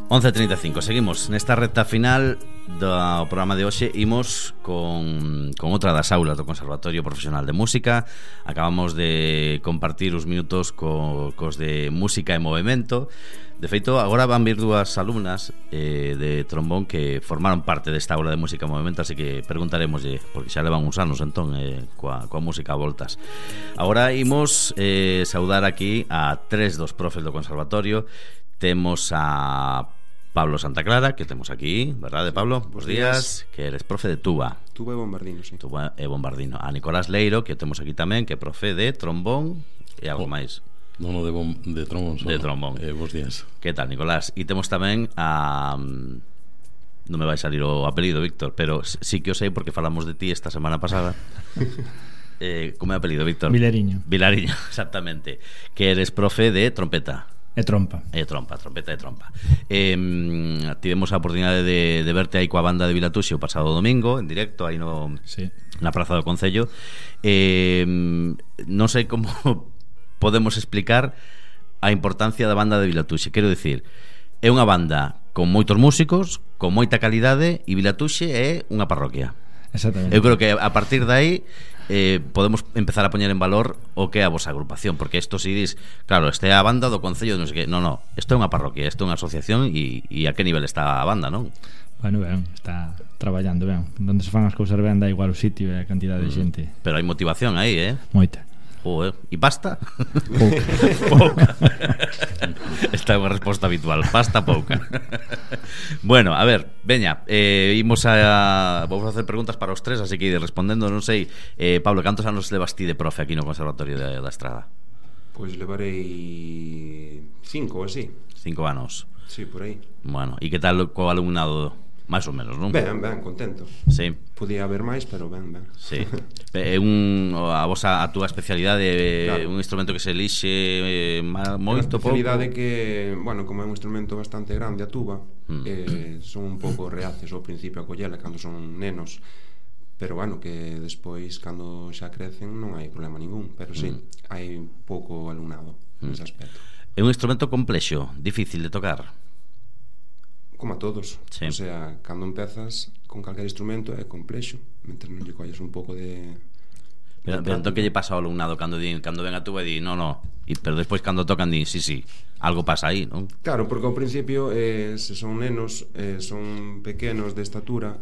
11:35, seguimos nesta recta final do programa de hoxe. Imos con outra das aulas do Conservatorio Profesional de Música. Acabamos de compartir os minutos cos de Música e Movemento. De feito, agora van vir dúas alumnas de trombón que formaron parte desta aula de Música e Movemento, así que preguntaremoslle, porque xa levan uns anos entón coa música a voltas. Agora imos saudar aquí a tres dos profes do Conservatorio. Temos a Pablo Santa Clara, que temos aquí, verdade, Pablo? Bos días, que eres profe de tuba. Tuba e bombardino, sí. Tuba e bombardino. A Nicolás Leiro, que temos aquí tamén, que é profe de trombón e algo máis. Non, de trombón só. De trombón. Bos días. Que tal, Nicolás? E temos tamén a... Non me vai salir o apelido, Víctor, pero sí que o sei porque falamos de ti esta semana pasada. Como é o apelido, Víctor? Vilariño. Vilariño, exactamente. Que eres profe de trompeta. E trompa. Trompeta e trompa. Tivemos a oportunidade de verte aí coa banda de Vilatuxe o pasado domingo, en directo, aí sí, na Praza do Concello. Non sei como podemos explicar a importancia da banda de Vilatuxe. Quero dicir, é unha banda con moitos músicos, con moita calidade, e Vilatuxe é unha parroquia. Exactamente. Eu creo que a partir de aí podemos empezar a poñer en valor o que é a vosa agrupación, porque isto si dis, claro, este é a banda do Concello, non sei que, no, isto é unha parroquia, isto é unha asociación, e a que nivel está a banda, non? Bueno, ben, está traballando ben. Donde se fan as cousas ben dá igual o sitio e a cantidade de xente. Pero hai motivación aí, Moita. E pasta? Pouca. Pouca. Esta é unha resposta habitual. Pasta pouca. Bueno, a ver, veña, vamos a hacer preguntas para os tres, así que ir respondendo. Non sei, Pablo, cantos anos levas ti de profe aquí no Conservatorio da Estrada? Pois levarei 5 ou así. 5 anos. Sí, por aí. Bueno, e que tal co alumnado? Máis ou menos, non? Ben, contento. Sí. Podía haber máis, pero ben. Sí. É a túa especialidade, claro. Un instrumento que se elixe moito, pouco. A especialidade que, bueno, como é un instrumento bastante grande a tuba, son un pouco reacios ao principio a collela cando son nenos, pero bueno, que despois cando xa crecen non hai problema ningún, pero sí, hai pouco alumnado nese aspecto. É un instrumento complexo, difícil de tocar. Como a todos, sí. O sea, cando empezas con calquer instrumento é complexo, mentre non lle colles un pouco de... Pero entón que lle pasa ao alumnado cando ven a túa e di, no, pero despois cando tocan di, sí, algo pasa aí, non? Claro, porque ao principio se son nenos, son pequenos de estatura,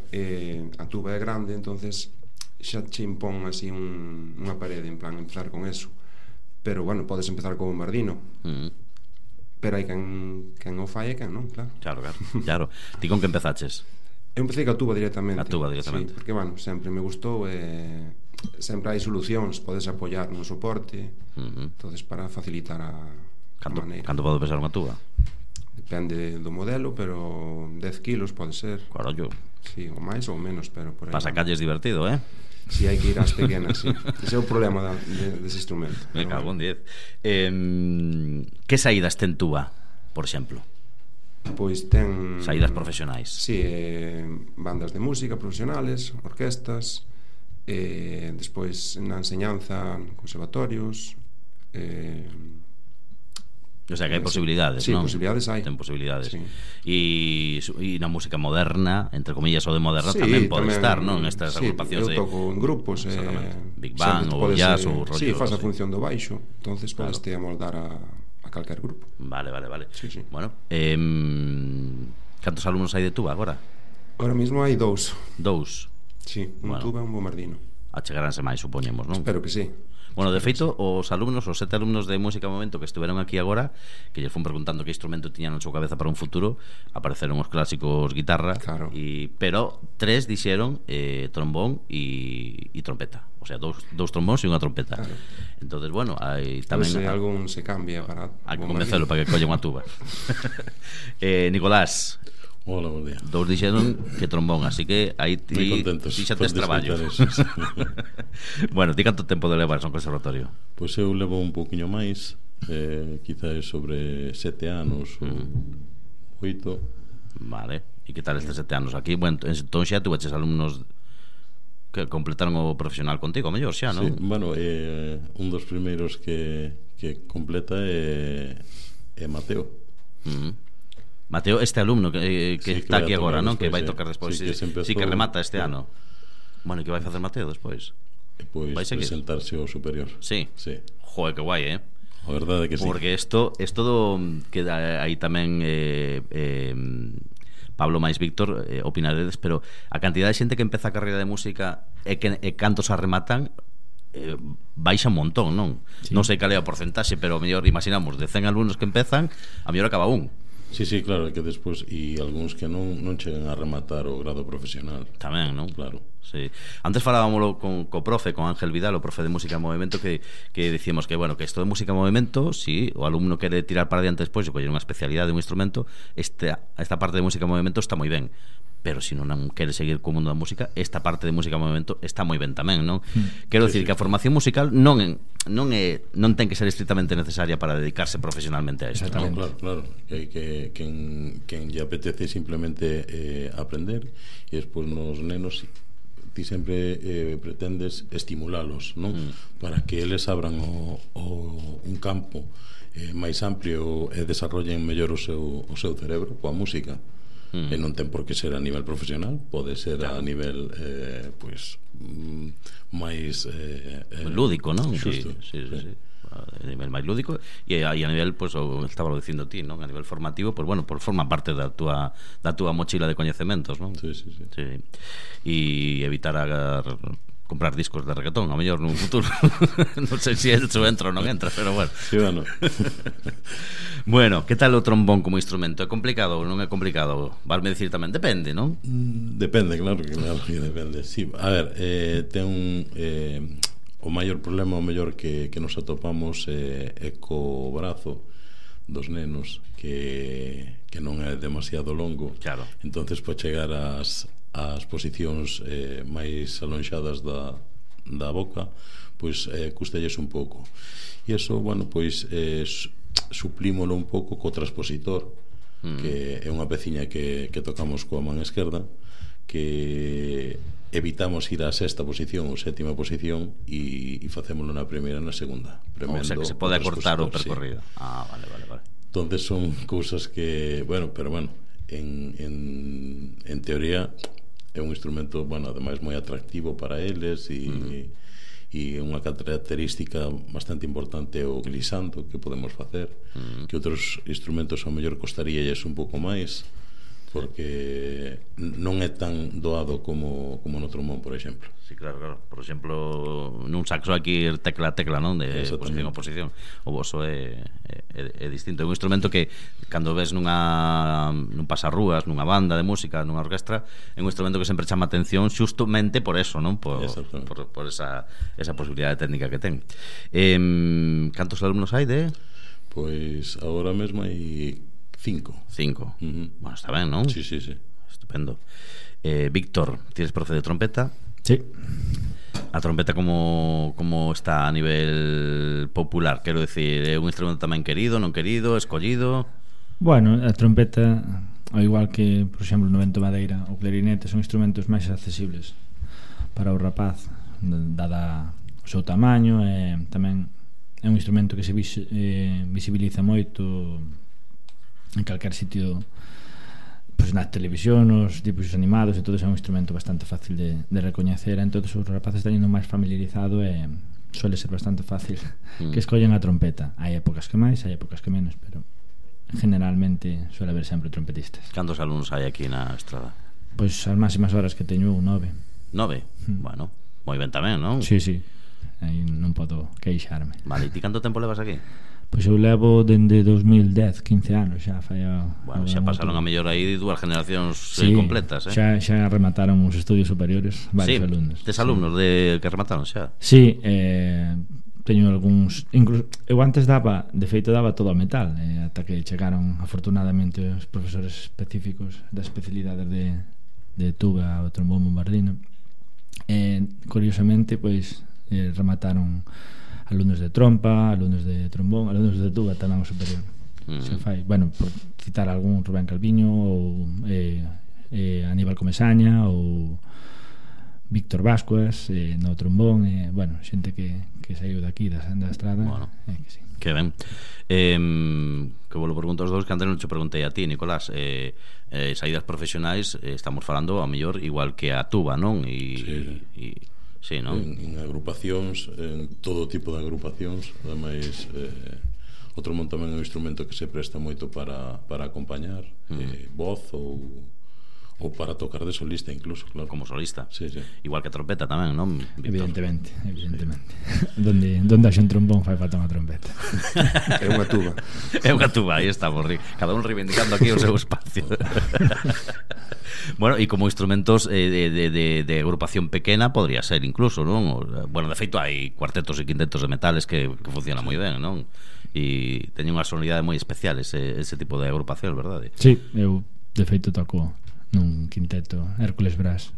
a tuba é grande, entonces xa che impón así unha parede, en plan empezar con eso. Pero bueno, podes empezar con bombardino. Pero hai quen o fai e quen non, claro. Claro. Ti con que empezaches? Eu empecé ca tuba directamente. Sí, porque, bueno, sempre me gustou sempre hai solucións, podes apoiar no soporte, entonces para facilitar a maneira. Canto pode pesar unha tuba? Depende do modelo, pero 10 kilos pode ser. Carallo. Sí, ou máis ou menos, pero por aí. Para sacarlles divertido, Si hai que ir ás pequenas, sí. Ese é o problema dese instrumento. Me cago en 10. Que saídas ten tuba, por exemplo? Pois ten... Saídas profesionais. Sí, bandas de música profesionales, orquestas, despois na enseñanza, conservatorios... O sea, que hai posibilidades, sí, non? Sí, posibilidades hai. Ten posibilidades. Sí. E na música moderna, entre comillas, o de moderna, sí, tamén pode estar, non? Estas agrupacións eu toco en grupos, Big Bang ou jazz ou rollo. Sí, faz a función do baixo, entonces podes te amoldar a calquer grupo. Vale. Sí. Bueno, cantos alumnos hai de tuba agora? Ahora mismo hai 2. Sí, un tuba e un bombardino. Achegaránse máis, supoñemos, non? Espero que sí. Bueno, de feito, os 7 alumnos de Música e Movemento que estiveron aquí agora, que lles fun preguntando que instrumento tiñan na súa cabeza para un futuro, apareceron os clásicos guitarra, claro. Pero 3 dixeron trombón e trompeta. O sea, dous trombóns e unha trompeta, claro. Entonces, bueno, hai tamén... Pues, algún se cambia para... Hai que convencelo para que colle unha tuba. Nicolás... Hola, buen día. 2 dixeron que trombón, así que aí ti xa tes traballo. Bueno, ti canto tempo de levas no conservatorio? Pois eu levo un pouquiño máis, quizás sobre 7 anos ou 8. Vale, e que tal estes 7 anos aquí? Bueno, entón xa tuveches alumnos que completaron o profesional contigo, a mellor xa, non? Sí, bueno, un dos primeiros que completa é Mateo. Mateo, este alumno que Sí, está vai aquí a tocar agora, non? Que despois, vai tocar despois. Sí, que se empezou, Sí, que remata este sí. ano. Bueno, e que vai facer Mateo despois? E pois Vai seguir? presentarse ao superior. Sí. Sí. Joder, que guai, A verdade é que sí. Porque isto do que aí tamén Pablo máis Víctor opinaredes, pero a cantidad de xente que empeza a carreira de música e cantos a rematan baixa un montón, non? Sí. Non sei cal é o porcentaxe, pero mellor imaginamos de 100 alumnos que empezan, a mellor acaba un. Sí, sí, claro, que despois e algúns que non chegan a rematar o grado profesional. Tamén, non? Claro. Sí. Antes falábamoslo co profe, con Ángel Vidal, o profe de música en movimento, que dicíamos que, bueno, que isto de música en movimento, si o alumno quere tirar para diante despois e coller unha especialidade de un instrumento, esta parte de música en movimento está moi ben, pero se non quere seguir co mundo da música, esta parte de música en movimento está moi ben tamén, non? Quero dicir que a formación musical non ten que ser estrictamente necesaria para dedicarse profesionalmente a isto, non? No, claro. Que hai que quen lle apetece simplemente aprender, e despois nos nenos ti sempre pretendes estimulalos, non? Para que eles abran un campo máis amplio e desarrollen mellor o seu cerebro coa música. E non ten por que ser a nivel profesional, pode ser a nivel máis lúdico, non? Xusto, Sí. A nivel máis lúdico e a nivel, pois, o estaba dicindo ti, non? A nivel formativo, pois bueno, forma parte da túa mochila de coñecementos, non? Sí. E evitar comprar discos de reggaetón, a mellor nun futuro. Non sei se eso entra ou non entra, pero bueno. Sí, bueno. Bueno, que tal o trombón como instrumento? É complicado ou non é complicado? Valme dicir tamén, depende, non? Depende, claro que depende. Sí, a ver, ten o maior problema, o mellor que nos atopamos é co brazo dos nenos que non é demasiado longo. Claro. Entonces, para chegar ás posicións máis alonxadas da boca, pois custelles un pouco. E iso, bueno, pois suplímolo un pouco co transpositor, que é unha peciña que tocamos coa man esquerda, que evitamos ir á sexta posición ou sétima posición e facémolo na primeira e na segunda, O sea, que se pode acortar o percorrido. Sí. Vale. Entonces son cousas que, bueno, en teoría é un instrumento, bueno, ademais moi atractivo para eles e unha característica bastante importante é o glissando que podemos facer, que outros instrumentos ao mellor costaríalles un pouco máis, porque non é tan doado como no trombón, por exemplo. Sí, claro. Por exemplo, nun saxo aquí tecla a tecla, non? De posición a posición. O voso é distinto. É un instrumento que cando ves nun pasarrúas, nunha banda de música, nunha orquestra, é un instrumento que sempre chama atención justamente por eso, non? Por esa posibilidade técnica que ten. Cantos alumnos hai de? Pois agora mesmo hai 5. Bueno, está ben, non? Sí. Estupendo. Víctor, tienes profe de trompeta? Sí. A trompeta como está a nivel popular? Quero decir, é un instrumento tamén querido, non querido, escollido? Bueno, a trompeta, ao igual que, por exemplo, no vento madeira ou clarinete, son instrumentos máis accesibles para o rapaz, dada o seu tamaño, e tamén é un instrumento que se visibiliza moito en calquer sitio, pois nas televisión, nos dibujos animados, e todo é un instrumento bastante fácil de recoñecer. Entón os rapaces están indo máis familiarizado e suele ser bastante fácil que escollen a trompeta. Hai épocas que máis, hai épocas que menos, pero generalmente suele haber sempre trompetistas. Cantos alumnos hai aquí na estrada? Pois as máximas horas que teño 9. Bueno, moi ben tamén, non? Sí. Aí non podo queixarme. Vale, e ti canto tempo levas aquí? Pois eu levo dende 2010, 15 anos xa. Bueno, xa pasaron a mellor aí 2 generacións completas, xa remataron os estudios superiores varios alumnos. Tes alumnos que remataron xa? Sí, teño algúns, incluso eu antes daba todo a metal, ata que chegaron afortunadamente os profesores específicos das especialidades de tuba ou trombón bombardino. Curiosamente, pois remataron alumnos de trompa, alumnos de trombón, alumnos de tuba tamén o superior. Se fai, bueno, por citar algún, Rubén Calviño ou Aníbal Comesaña ou Víctor Vascuas no trombón, bueno, xente que saiu daqui da estrada, Bueno. que sí. Que ben. Que vos lo pregunto aos dous, que antes non te preguntei a ti, Nicolás. Saídas profesionais, estamos falando a mellor igual que a tuba, non? Sí, non? En agrupacións, en todo tipo de agrupacións, ademais o trombón tamén é un instrumento que se presta moito para acompañar, voz ou para tocar de solista incluso, claro. Como solista. Sí. Igual que a trompeta tamén, non, Víctor? Evidentemente. Donde haxe un trombón fai falta unha trompeta. É unha tuba. É unha tuba, aí estamos, cada un reivindicando aquí o seu espacio. Bueno, e como instrumentos de agrupación pequena podría ser incluso, non? Bueno, de feito hai cuartetos e quintetos de metales que funcionan moi ben, non? E teñen unha sonoridade moi especial ese tipo de agrupación, verdade? Sí, eu de feito toco nun quinteto Hércules Brass.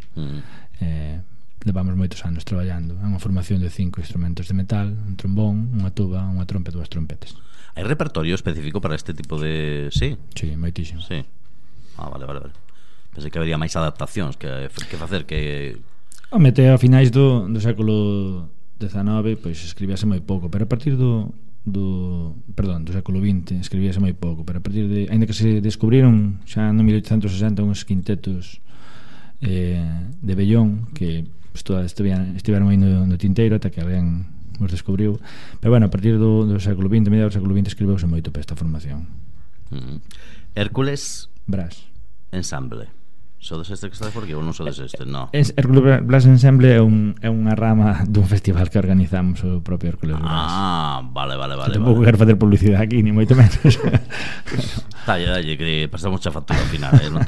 Levamos moitos anos traballando. É unha formación de 5 instrumentos de metal: un trombón, unha tuba, unha trompa e 2 trompetas. Hai repertorio específico para este tipo de... Sí? Sí, moitísimo. Sí. Vale. Pensei que habería máis adaptacións que facer que... Home, até a finais do século XIX pois escribíase moi pouco, pero a partir do século XX escribíase moi pouco, pero a partir de, ainda que se descubriron xa no 1860 uns quintetos de vellón que estiveron aí no tinteiro ata que alguén os descubriu, pero bueno, a partir do século XX, mediados do século XX escribeuse moito para esta formación. Hércules Brass Ensemble. Sodes este que estás por aquí ou non sodes este? No. Hércules Brass Ensemble é unha rama dun festival que organizamos o propio Hércules Brass. Vale. Tampouco quero facer publicidade aquí, ni moito menos. Dalle, que pasamos a factura ao final, non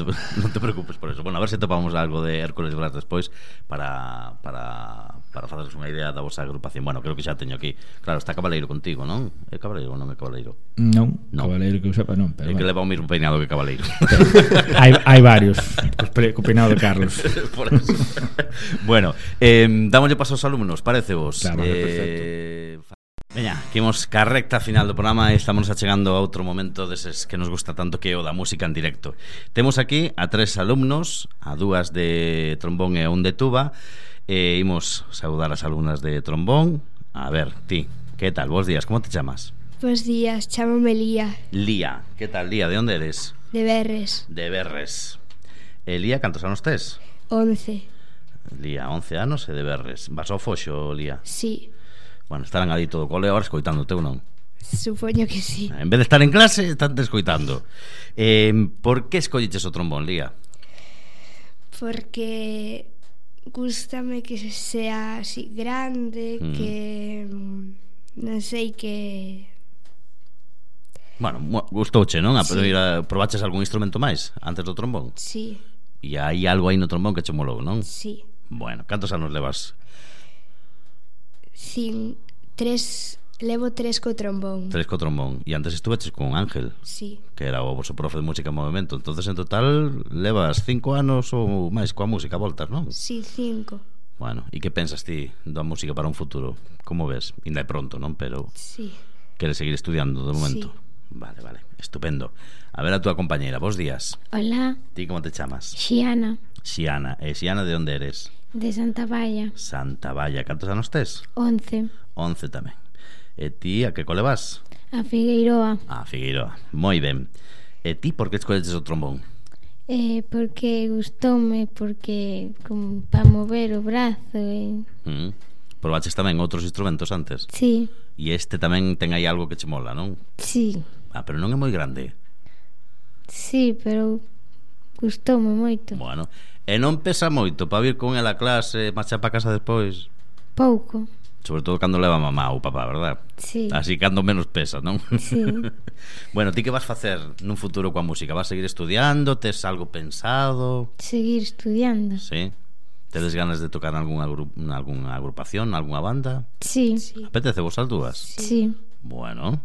te preocupes por eso. Bueno, a ver se topamos algo de Hércules Brass despois para faceros unha idea da vosa agrupación. Bueno, creo que xa teño aquí. Claro, está Cabaleiro contigo, non? É Cabaleiro ou non é Cabaleiro? Non. Cabaleiro que eu sepa non, pero é que leva o mesmo peinado que Cabaleiro. Hai varios. Co peinado de Carlos. Por eso. Bueno, dámoslle paso aos alumnos, parece vos? Claro, perfecto. Veña, que imos ca recta final do programa e estamos achegando a outro momento deses que nos gusta tanto, que é o da música en directo. Temos aquí a 3 alumnos, a 2 de trombón e a 1 de tuba, e imos saudar as alumnas de trombón. A ver, ti, que tal? Bos días, como te chamas? Bos días, chámame Lía. Lía, que tal, Lía? De onde eres? De Berres. De Berres. Lía, cantos anos tes? 11. Lía, 11 anos e de Berres. Vas ao Foxo, Lía? Sí. Bueno, estarán ali todo o cole agora escoitándote ou non? Supoño que sí. En vez de estar en clase, están te escoitando. Por que escolliches o trombón, Lía? Porque gústame que sea así grande, que non sei, que... Bueno, gustouche, non? Sí. Probaches algún instrumento máis antes do trombón? Sí. E hai algo aí no trombón que che molou, non? Sí. Bueno, cantos anos levas? Levo 3 co trombón. 3 co trombón. E antes estuveches con Ángel, Sí. que era o vosso profe de música en movimento. Entonces en total levas 5 anos ou máis coa música a voltas, non? Sí, 5. Bueno, e que pensas ti da música para un futuro? Como ves? Ainda é pronto, non? Pero Sí. queres seguir estudiando de momento? Sí. Vale, estupendo. A ver a túa compañeira, bos días. Hola, Ti como te chamas? Xiana, Xiana. E Xiana, de onde eres? de Santa Valla, Santa Valla. Cantos anos tes? 11, 11 tamén. E ti a que cole vas? a Figueiroa, A Figueiroa. Moi ben. E ti por que escolleches o trombón? porque gustoume, porque para mover o brazo, Probaches tamén outros instrumentos antes? sí, E este tamén ten aí algo que che mola, non? sí, Pero non é moi grande. sí, pero gustoume moito, Bueno, e non pesa moito para vir con ela a clase, marchar para casa despois? pouco, Sobre todo cando leva mamá ou papá, verdad? sí, Así cando menos pesa, non? sí. Bueno, ti que vas facer nun futuro coa música? Vas seguir estudiando? Tes algo pensado? Seguir estudiando, Sí? Tedes ganas de tocar nalgúna agrupación, nalgúna banda? sí, Apetece vos as dúas? sí, Bueno,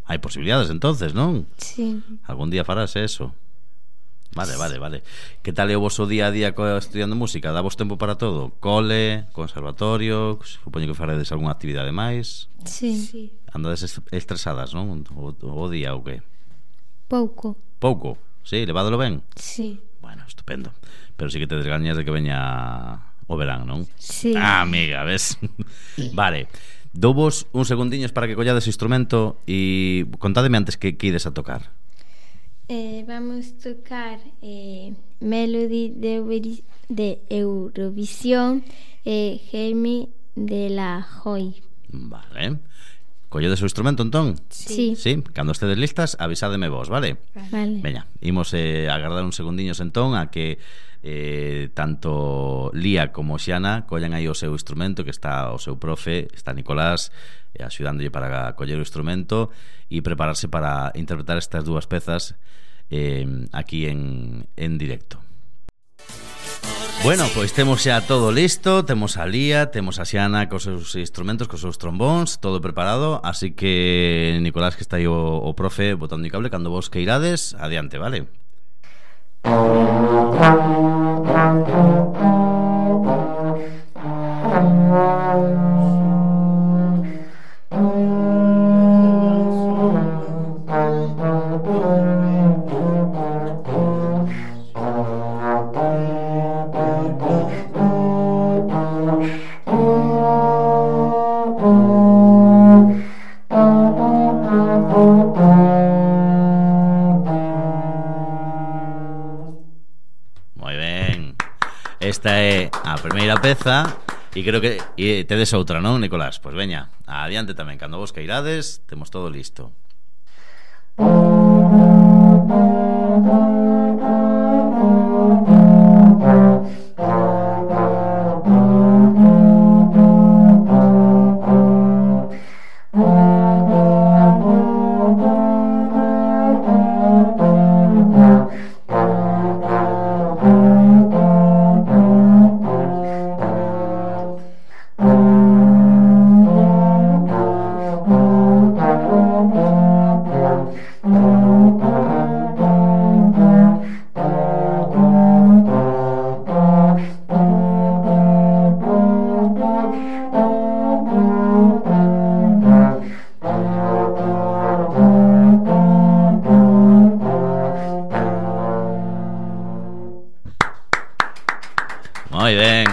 hai posibilidades entonces, non? sí, Algún día farás eso. Vale. Que tal é o voso día a día estudiando música? Dá vos tempo para todo? Cole, conservatorio, supoño que faredes algunha actividade máis? sí, Sí. Andades estresadas, non? O día ou que? pouco, Pouco? Sí, levádelo ben? sí, Bueno, estupendo. Pero sí que te desgañas de que veña o verán, non? Sí. Ah, amiga, ves? Vale. Douvos uns segundiños para que collades o instrumento e contádeme antes que ides a tocar. Vamos tocar Melody de Eurovisión e Jaime de la Joy. Vale. Colledes o instrumento, entón? Sí. Sí, cando estedes listas, avisádeme vos, vale? Vale. Veña, imos agardar uns segundiños entón a que tanto Lía como Xiana collan aí o seu instrumento, que está o seu profe, está Nicolás, axudándolle para coller o instrumento e prepararse para interpretar estas dúas pezas aquí en directo. Bueno, pois temos xa todo listo. Temos a Lía, temos a Xiana cos seus instrumentos, cos seus trombóns, todo preparado. Así que Nicolás, que está aí o profe botando o cable, cando vos que irades, adiante, vale? Esta é a primeira peza e creo que tedes outra, non, Nicolás? Pois veña, adiante tamén, cando vos cairades, temos todo listo. Moi ben.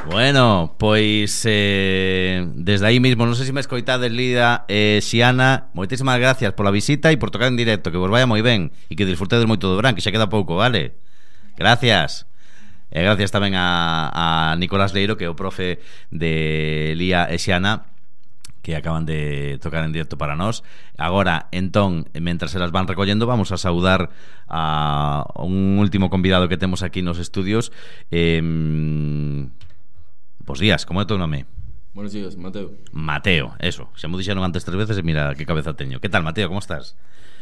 Bueno, pois desde aí mismo, non sei se me escoitades, Lida e Xiana, moitísimas gracias pola visita e por tocar en directo, que vos vaya moi ben e que disfrutedes moito do verán, que xa queda pouco, vale? Gracias. E gracias tamén a Nicolás Leiro, que é o profe de Lía e Xiana, que acaban de tocar en directo para nós. Agora, entón, mentras se las van recollendo, vamos a saudar a un último convidado que temos aquí nos estudios. Bos días, como é o teu nome? Buenos días, Mateo. Mateo, eso, xa mo dixeron antes 3 veces e mira que cabeza teño. Que tal, Mateo, como estás?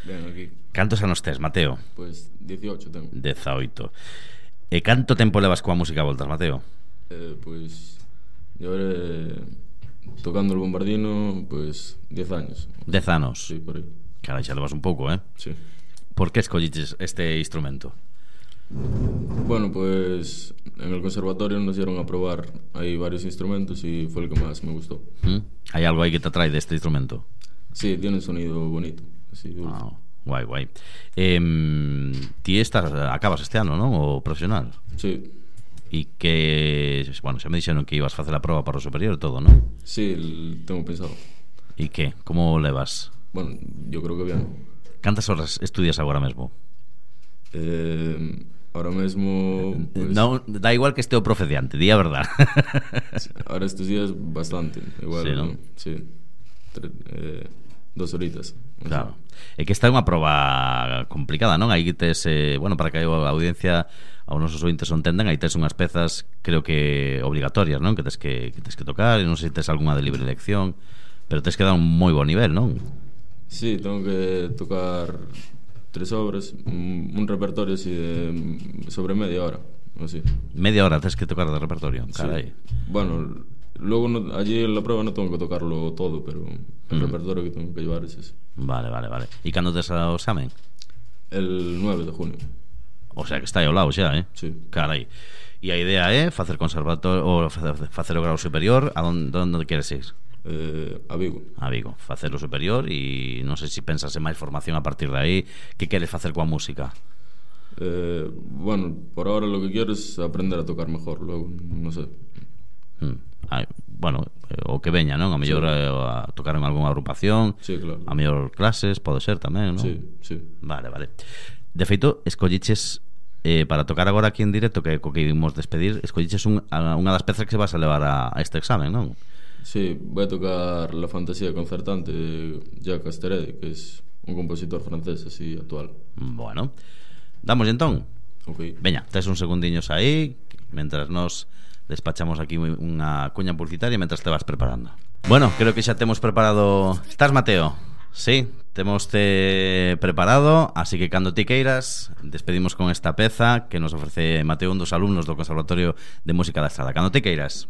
Ben, aquí. Cantos anos tes, Mateo? Pues 18 tengo. 18. E canto tempo levas coa música a voltas, Mateo? Pues llevaré tocando el bombardino, pues 10 años. 10 anos? Sí, por aí. Carai, xa levas un pouco, Sí. Por que escolliches este instrumento? Bueno, pues en el conservatorio nos dieron a probar ahí varios instrumentos y fue el que más me gustó. Hai algo aí que te atrae deste instrumento? Sí, tiene un sonido bonito, así dulce. Guai, guai. Ti acabas este ano, non? O profesional? Sí. E que, bueno, xa me dixeron que ibas facer a proba para o superior e todo, non? Sí, tengo pensado. E que? Como levas? Bueno, yo creo que bien. Cantas horas estudias agora mesmo? Ahora mesmo pues, non, da igual que este o profe de ante, di a verdad. Ahora estos días bastante. Igual, sí, ¿no? Sí. 2 horitas. Claro. É que esta é unha proba complicada, non? Aí tes, bueno, para que a audiencia, aos nosos ointes o entenden, aí tes unhas pezas, creo que obligatorias, non? Que tes que tocar, e non sei se tes algunha de libre elección, pero tes que dar un moi bo nivel, non? Sí, tengo que tocar 3 obras, un repertorio así de sobre media hora, así. Media hora tes que tocar de repertorio, carai. Sí. Bueno, luego allí en la prueba no tengo que tocarlo todo, pero el repertorio que tengo que llevar es ese. Vale. E cando tes o examen? El 9 de junio. O sea que está aí ao lado xa, Sí. Carai. E a idea é facer conservatorio ou facer o grau superior. A onde queres ir? A Vigo. A Vigo, facer o superior. E non sei se pensas en máis formación a partir de aí. Que queres facer coa música? Bueno, por ahora lo que quiero es aprender a tocar mejor. Luego, no sé. Bueno, o que veña, non? A mellor a tocar en algunha agrupación. Sí, claro. A mellor clases, pode ser tamén, non? Sí. Vale. De feito, escolliches para tocar agora aquí en directo, que co que imos despedir, escolliches unha das pezas que vas a levar a este examen, non? Sí, voy a tocar La fantasía concertante de Jacques Asteroide, que es un compositor francés así actual. Bueno, damos entón. Ok. Veña, tes un segundiños aí mentras nos despachamos aquí unha cuña publicitaria mentras te vas preparando. Bueno, creo que xa temos preparado. Estás, Mateo? Sí, temoste preparado, así que cando ti queiras despedimos con esta peza que nos ofrece Mateo, un dos alumnos do Conservatorio de Música da Estrada. Cando ti queiras.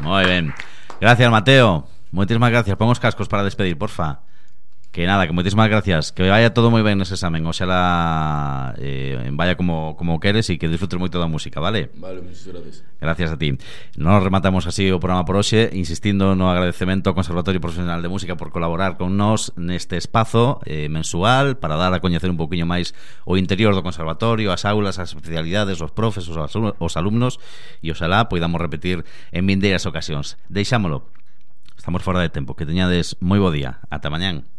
Moi ben. Gracias, Mateo. Moitísimas gracias. Pon os cascos para despedir, porfa. Que nada, que moitísimas gracias. Que vaya todo moi ben nese examen. Oxalá vaya como queres e que disfrutes moito da música, vale? Vale, muchas gracias. Gracias a ti. Nos rematamos así o programa por hoxe, insistindo no agradecemento ao Conservatorio Profesional de Música por colaborar con nós neste espazo mensual para dar a coñecer un poquinho máis o interior do Conservatorio, as aulas, as especialidades, os profes, os alumnos, e oxalá poidamos repetir en vindeiras ocasións. Deixámolo. Estamos fora de tempo. Que teñades moi bo día. Ata mañán.